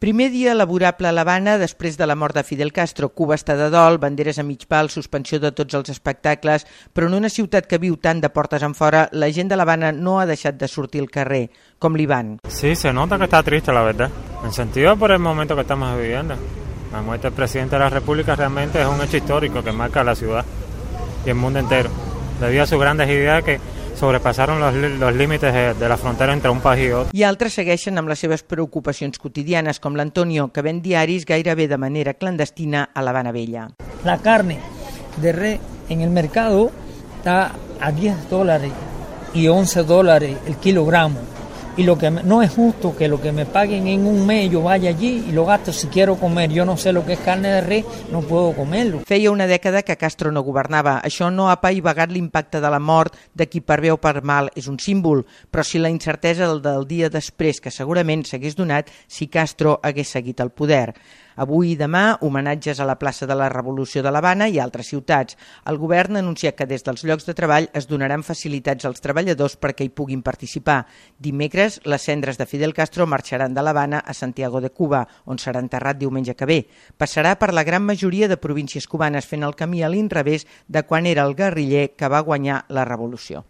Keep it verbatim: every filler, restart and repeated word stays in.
Primer dia laborable a l'Havana després de la mort de Fidel Castro. Cuba està de dol, banderes a mig pal, suspensió de tots els espectacles, però en una ciutat que viu tant de portes enfora, la gent de l'Havana no ha deixat de sortir al carrer, com l'Iván. Sí, se nota que está triste, la verdad. En sentido por el momento que estamos viviendo. La muerte del presidente de la República realmente es un hecho histórico que marca la ciudad y el mundo entero, debido a sus grandes ideas que sobrepasaron los, los límites de, de la frontera entre un país i otro. I altres segueixen amb les seves preocupacions quotidianes, com l'Antonio, que ven diaris gairebé de manera clandestina a l'Havana Vella. La carne de res en el mercado está a diez dólares y once dólares el kilogramo. Y lo que no es justo que lo que me paguen en un mes yo vaya allí y lo gasto si quiero comer. Yo no sé lo que es carne de res, no puedo comerlo. Feia una dècada que Castro no governava. Això no ha apaivagat l'impacte de la mort de qui per bé o per mal és un símbol, però sí la incertesa del, del dia després, que segurament s'hagués donat si Castro hagués seguit al poder. Avui i demà, homenatges a la plaça de la Revolució de l'Havana i altres ciutats. El govern ha anunciat que des dels llocs de treball es donaran facilitats als treballadors perquè hi puguin participar. Dimecres, les cendres de Fidel Castro marxaran de l'Havana a Santiago de Cuba, on serà enterrat diumenge que ve. Passarà per la gran majoria de províncies cubanes, fent el camí a l'inrevés de quan era el guerriller que va guanyar la revolució.